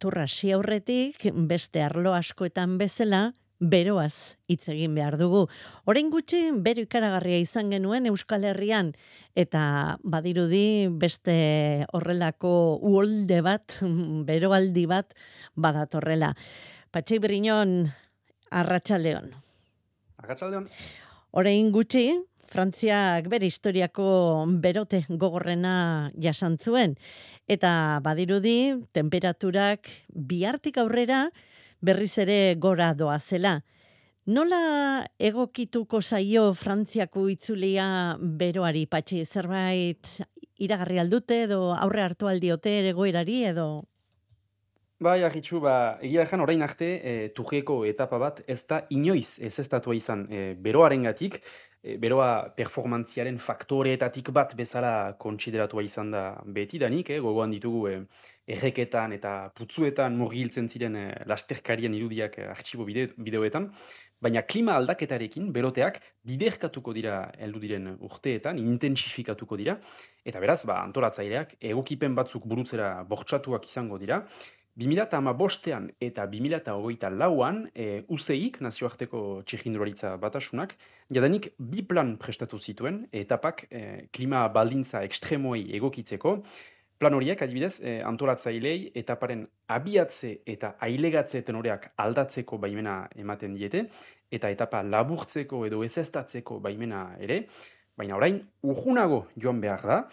turra hasi aurretik, beste arlo askoetan bezala, beroaz hitz egin behar dugu. Orain gutxi, bero ikaragarria izan genuen Euskal Herrian, eta badirudi beste horrelako uholde bat, beroaldi bat badatorrela. Patxi Briñon, arratsaldeon. Arratsaldeon. Orain gutxi, Frantziak bere historiako berote gogorrena jasan zuen. Eta badirudi, temperaturak bihartik aurrera berriz ere gora doazela. Nola egokituko zaio Frantziako itzulia beroari, Patxi? Zerbait iragarri aldute edo aurre hartu aldiote egoerari edo... Bai, Arritxu, egia ejan orain arte Tujeko etapa bat ez da inoiz ezeztatua izan beroarengatik, beroa performantziaren faktoreetatik bat bezala kontsideratua izan da betidanik, gogoan ditugu erreketan eta putzuetan murgiltzen ziren lasterkarien irudiak artxibo bideoetan, baina klima aldaketarekin beroteak biderkatuko dira heldu diren urteetan, intentsifikatuko dira, eta beraz, antolatzaileak egokipen batzuk burutzera bortxatuak izango dira. 2015ean eta 2024an UCIk, nazioarteko txirrindularitza batasunak, jadanik bi plan prestatu zituen, etapak klima baldintza ekstremoei egokitzeko. Plan horiek, adibidez, antolatzailei etaparen abiatze eta ailegatze tenoreak aldatzeko baimena ematen diete, eta etapa laburtzeko edo ezeztatzeko baimena ere, baina orain urrunago joan behar da.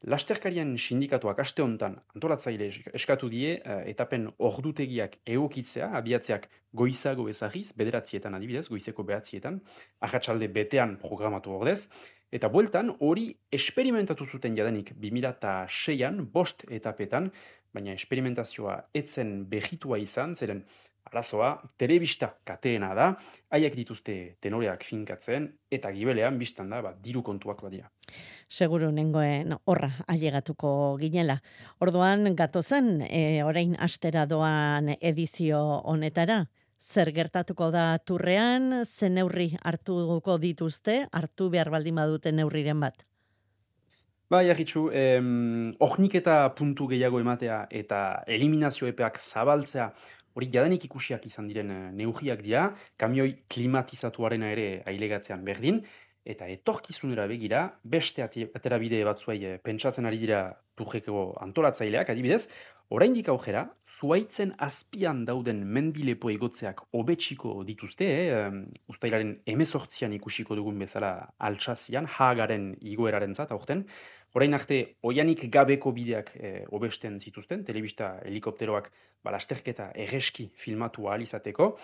Lasterkarien sindikatuak aste honetan antolatzaile eskatu die etapen ordutegiak egokitzea, abiatzeak goizago ezagiz, 9etan adibidez, goizeko 9etan, arratsalde betean programatu ordez, eta bueltan hori esperimentatu zuten jadanik 2006an, 5 etapetan, baina esperimentazioa etzen behitua izan, zeren arazoa telebista kateena da, haiek dituzte tenoreak finkatzen, eta gibelean biztan da, diru kontuak badira. Seguru nengoen horra ailegatuko ginela. Orduan gatozen, orain astera doan edizio honetara, zer gertatuko da turrean, ze neurri hartuko dituzte, hartu behar baldin badute neurriren bat? Bai, Arritxu, eta puntu gehiago ematea eta eliminazio epeak zabaltzea, hori jadanik ikusiak izan diren neurriak dira, kamioi klimatizatuarena ere ailegatzean berdin, eta etorkizunera begira, beste aterabide batzuei pentsatzen ari dira Tujeko antolatzaileak, adibidez, oraindik aurrera, zuaitzen azpian dauden mendilepo egotzeak hobetsiko dituzte, uztailaren 18an ikusiko dugun bezala Altsazian, Haagaren igoerarentzat aurten. Orain arte, oianik gabeko bideak hobesten zituzten, telebista helikopteroak lasterketa erreski filmatu ahal izateko.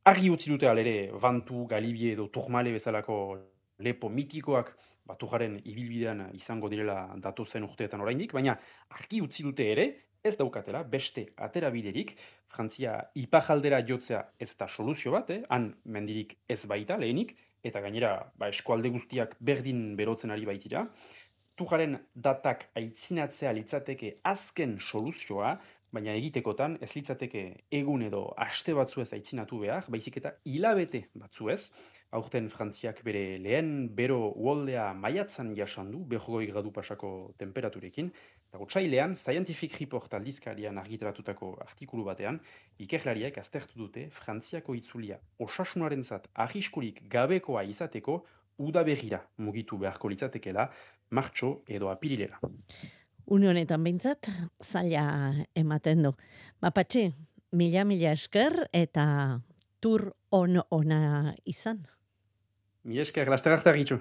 Argi utzi dute alere, Vantu, Galibie edo Tourmalet bezalako lepo mitikoak Tujaren ibilbidean izango direla datozen urteetan oraindik, baina argi utzi dute ere, ez daukatela beste aterabiderik, Frantzia ipajaldera jotzea ez da soluzio bat, han mendirik ez baita lehenik, eta gainera eskualde guztiak berdin berotzen ari baitira. Tujaren datak aitzinatzea litzateke azken soluzioa, baina egitekotan ez litzateke egun edo aste batzuez aitzinatu behar, baizik eta hilabete batzuez. Aurten Frantziak bere lehen bero uholdea maiatzan jasan du, 40 gradu pasako temperaturekin, eta otsailean Scientific Report aldizkarian argitaratutako artikulu batean, ikerlariak aztertu dute Frantziako itzulia osasunarentzat arriskurik gabekoa izateko udaberrira mugitu beharko litzatekela, martxo edo apirilera. Une honetan behintzat, zaila ematen du. Patxi, mila esker eta tur ona izan. Mila esker, laster arte Arritxu.